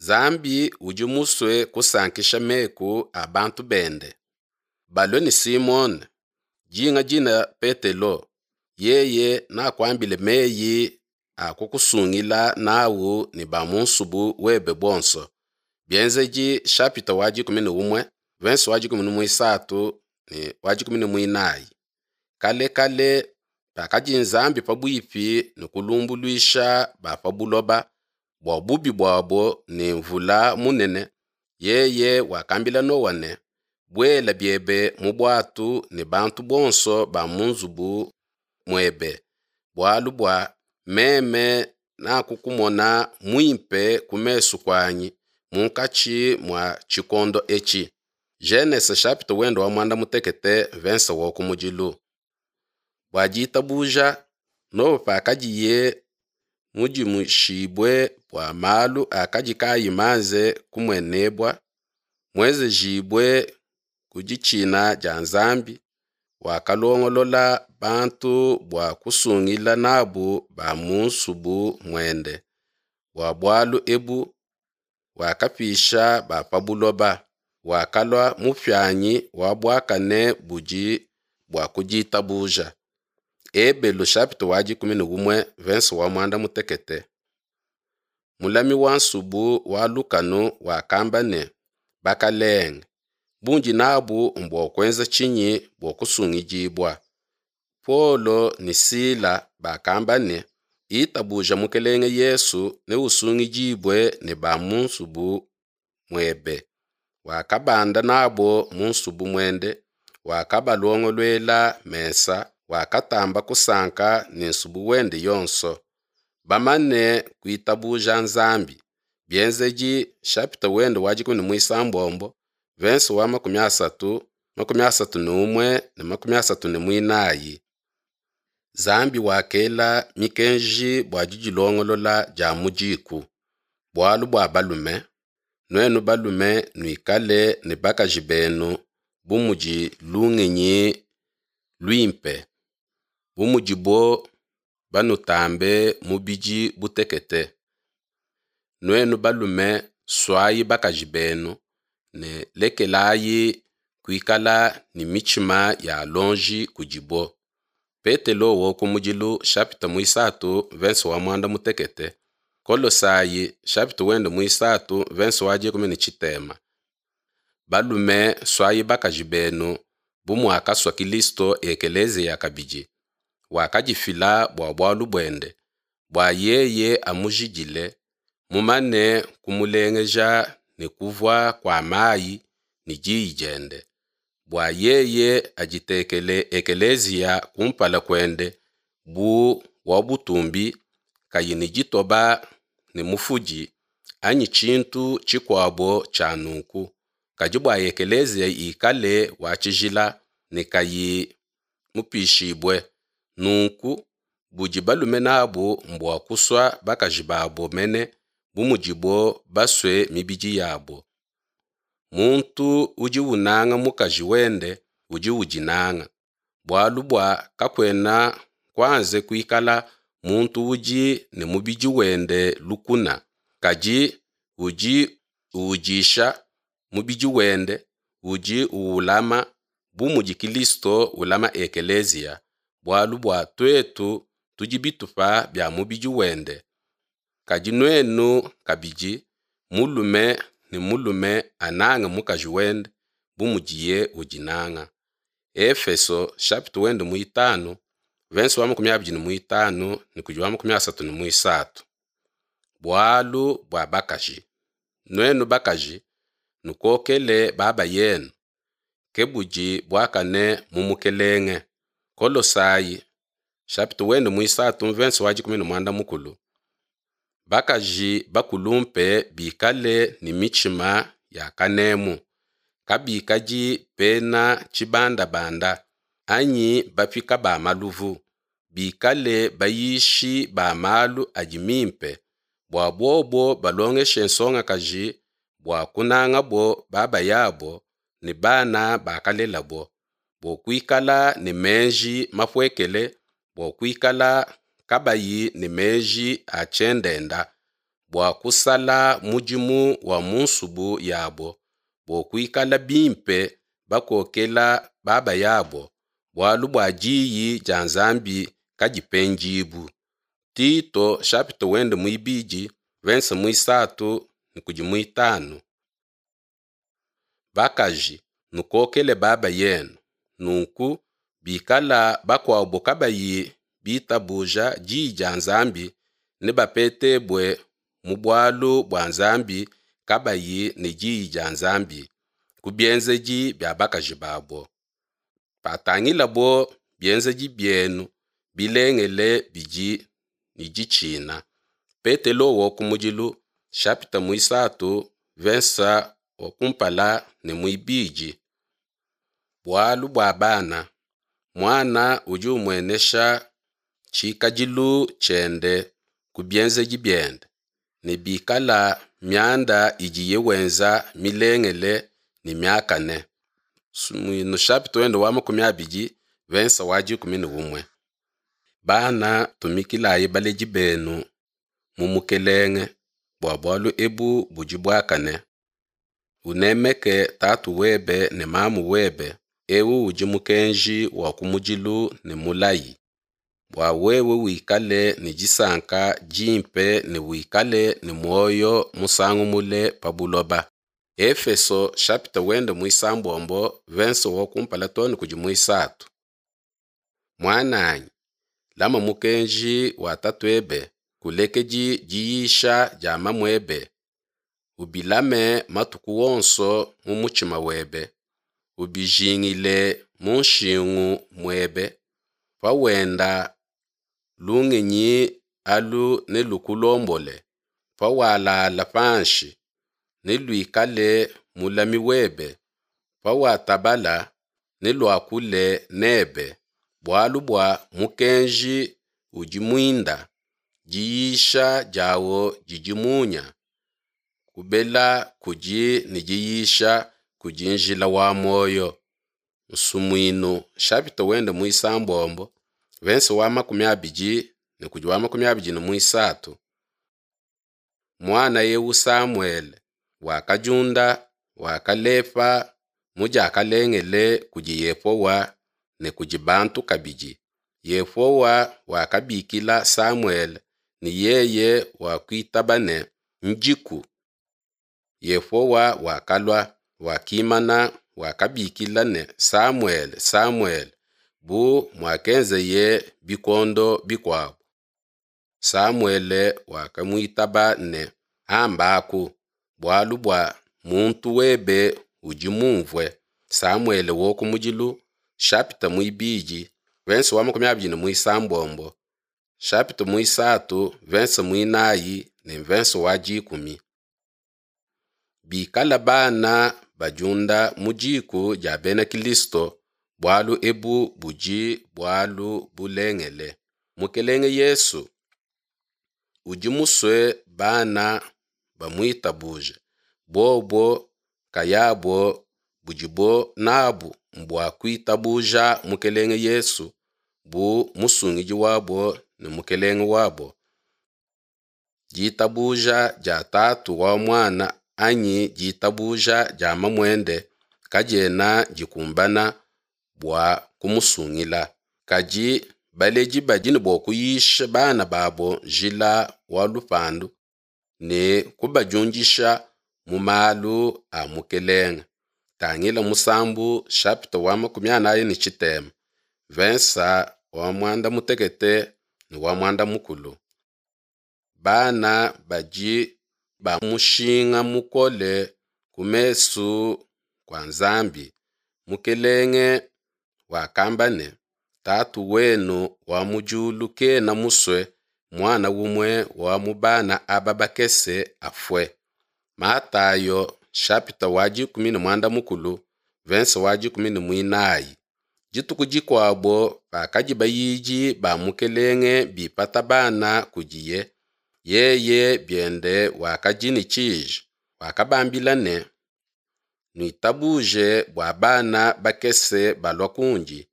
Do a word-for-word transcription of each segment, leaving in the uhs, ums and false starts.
Nzambi udi musue kusankisha meku a bantu bende. Balue ne Simone, dinga dina Petelo, yeye nakuambile meyi a kukusungila nawu ne ba mu nsubu webe bonso. Bienzedi chapitre wa dikumi ne umue verse wa dikumi ne muisatu ne wa dikumi ne muinayi. Kale kale pakadi Nzambi pabuipi ne kulumbuluisha ba pa buloba bua bubi buabo ne mvula munene, yeye wakambila Noa ne, buela biebe mu buatu ne bantu bonso ba mu nzubu muebe, bualu bua meme nakukumona muimpe ku mesu kuanyi munkatshi mua tshikondo etshi. Genese chapitre wenda wa muanda mutekete verse wa kumudilu. Bua ditabuja Noa pakadiye mudimushibue bua malu akadi kayi manze kumuenebua, muenzejibue ku ditshina dia Nzambi, wakalongolola bantu bua kusungila nabu ba mu nsubu muende. Bua bualu ebu wakapisha ba pa buloba, wakalua mupianyi wa buakane budi bua ku ditabuja. Ebelu chapitre wa dikumi ne umue verse wa muanda mutekete. Mulami wa nsubu wa lukanu wakamba ne, bakalenge, bundi nabu mbua kuenza tshinyi bua kusungidibua? Paulo ne Sila bakamba ne, itabuja Mukelenge Yesu ne usungidibue ne ba mu nsubu muebe. Wakabanda nabo mu nsubu muende, wakabalongoluela mesa, wakatamba kusanka ne nsubu wende yonso. Bamane kuitabuja Nzambi. Bienzedi chapitre wende wa dikumi ne muisambombo verse wa makumi asatu, makumi asatu ne umue ne makumi asatu ne muinayi. Nzambi wakela mikenji bua didilongolola dia mu diku. Bualu bua balume, nuenu balume nuikale ne bakaji benu bu mudi lungenyi luimpe, bu mudibo banutambe mubidi butekete. Nuenu balume suayi bakaji benu ne lekelayi kuikala ne mitshima ya lonji kudibo. Petelo wo kumudilu chapitre muisatu verse wa muanda mutekete. Kolosai chapitre wende muisatu verse wa dikumi ne tshitema. Balume suayi bakaji benu bu muakasua Kilisto ekeleziya kabidi, wakadifila bua bualu buende, bua yeye amujidile, mumane kumulengeja ne kuvua kua mayi ne diyi diende, bua yeye aditekele ekeleziya kumpala kuende bu wa butumbi, kayi ne ditoba ne mufudi anyi tshintu tshikuabo tshia nunku, kadi bua ekeleziya ikale wa tshijila ne kayi mupishibue. Nunku budi balume nabu mbua kusua bakaji babo mene bu mudibo basue mibidi yabo. Muntu udi unanga mukaji wende udi udinanga, bualu bua kakuena kuanze kuikala muntu udi ne mubidi wende lukuna, kadi udi uudisha mubidi wende, udi uulama bu mudi Kilisto ulama ekeleziya, bualu bua tuetu tudi bitupa bia mubidi wende. Kadi nuenu kabidi, mulume ne mulume anange mukaji wende bu mudiye udinanga. Efeso chapitre wende muitanu verse wa makumi abidi ne muitanu ne kudi wa makumi asatu ne muisatu. Bualu bua bakaji. Nuenu bakaji, nukokele baba yenu, ke budi buakane mu Mukelenge. Kolosai chapitre wende muisatu verse wa dikumi ne muanda mukulu. Bakaji bakulumpe bikale ne mitshima ya kanemu, kabikadi bena tshibandabanda anyi bapika ba maluvu, bikale bayishi ba malu adi mimpe, bua bobo balongeshe nsongakaji bua kunangabo babayabo ne bana bakalelabo, bua kuikala ne meji mapuekele, bua kuikala kabayi ne meji a tshiendenda, bua kusala mudimu wa mu nsubu yabo, bua kuikala bimpe bakokela babayabo, bualu bua diyi dia Nzambi kadipendibu. Tito chapitre wende muibidi verse muisatu ne kudi muitanu. Bakaji, nukokele baba yenu, nunku bikala bakuabo kabayi bitabuja diyi dia Nzambi, nebapetebue mu bualu bua Nzambi kabayi ne diyi dia Nzambi ku bienzedi bia bakaji babo. Patangilabo bienzedi bienu bilengele bidi ne ditshina. Petelo wa kumudilu chapitre muisatu verse wa kumpala ne muibidi. Bualu bua bana, muana udi umuenesha tshikadilu tshiende ku bienzedi biende, ne bikala mianda idiye wenza milengele ne miakane. Sumuinu chapitre wende wa makumi abidi verse wa dikumi ne umue. Bana, tumikilayi baledi benu mu Mukelenge, bua bualu ebu budi buakane. Unemeke tatu webe ne mamu webe, eu udi mukenji wa kumudilu ne mulayi, bua wewe wikale ne disanka dimpe ne wikale ne muoyo musangu mule pa buloba. Efeso chapitre wende muisambombo verse wa kumpala too ne kudi muisatu. Muananyi, lama mukenji wa tatuebe, kulekedi diyisha dia mamuebe, ubilame matuku wonso mu mutshima webe, ubijingile mu nshingu muebe, pawenda lungenyi alu nelukulombole, pawalala panshi neluikale mulami webe, pawatabala neluakule nebe, bualu bua mukenji udi muinda, diyisha diawo didi munya, kubela kudi ne diyisha kudi njila wa muoyo. Nsumuinu chapitre wende muisambombo verse wa makumi abidi ne kudi wa makumi abidi ne muisatu. Muana eu Samuele wakadiunda, wakalepa mu diakalengele kudi Yehowa ne kudi bantu kabidi. Yehowa wakabikila Samuele ne yeye wakuitaba ne, Ndiku. Yehowa wakalua, wakimana, wakabikila ne, Samuele, Samuele, bu muakenzeye bikondo bikuabo. Samuele wakamuitaba ne, Ambaku, bualu bua muntu webe udi mumvue. Samuele wa kumudilu chapitre muibidi verse wa makumi abidi ne muisambombo chapitre muisatu verse muinayi ne verse wa dikumi. Bikala bana badiunda mu diku dia bena Kilisto, bualu ebu budi bualu bulengele. Mukelenge Yesu udi musue bana bamuitabuje, bobo kayabo budibo nabu mbua kuitabuja Mukelenge Yesu bu musungidi wabo ne Mukelenge wabo. Ditabuja dia tatu wa muana anyi ditabuja dia mamuende kadiena dikumbana bua kumusungila. Kadi baledi badi ne bua kuyisha bana babo njila wa lupandu ne kubadiundisha mu malu a Mukelenge. Tangila musambu chapitre wa makumi anayi ne tshitema verse wa muanda mutekete ne wa muanda mukulu. Bana badi ba mushinga mukole ku mesu kua Nzambi. Mukelenge wakamba ne, Tatu wenu wa mu diulu kena musue muana umue wa mu bana aba bakese afue. Matayo chapitre wa dikumi ne muanda mukulu verse wa dikumi ne muinayi. Dituku dikuabo pakadi bayidi ba Mukelenge bipata bana kudiye, yeye biende wakadi ne tshiji, wakabambila ne, Nuitabuje bua bana bakese balua kundi,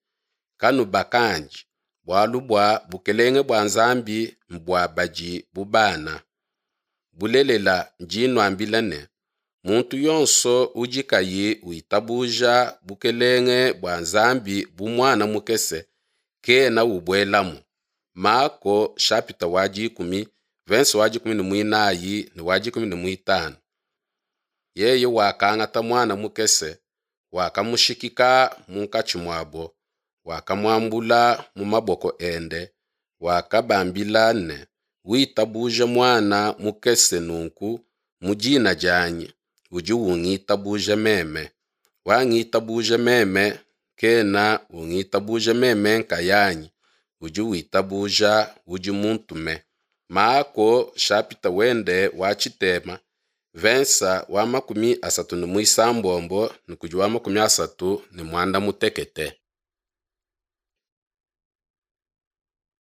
kanubakandi, bualu bua bukelenge bua Nzambi mbua badi bu bana. Bulelela ndi nuambila ne, muntu yonso udi kayi witabuja bukelenge bua Nzambi bu muana mukese, kena ubuelamu. Mako chapitre wa dikumi, verse wa dikumi ne muinayi ne wa dikumi ne muitanu. Yeye wakangata muana mukese, wakamushikika munkatshi muabo, wakamuambula mu maboko ende, wakabambila ne, witabuja muana mukese nunku mu dina dianyi, udi ungitabuja meme. Wangitabuja meme, kena ungitabuja meme nkayanyi, udi witabuja udi muntume. Mako chapitre wende wa tshitema, vensa wa makumi asatu ne muisambombo ne kudi wa makumi asatu ne muanda mutekete.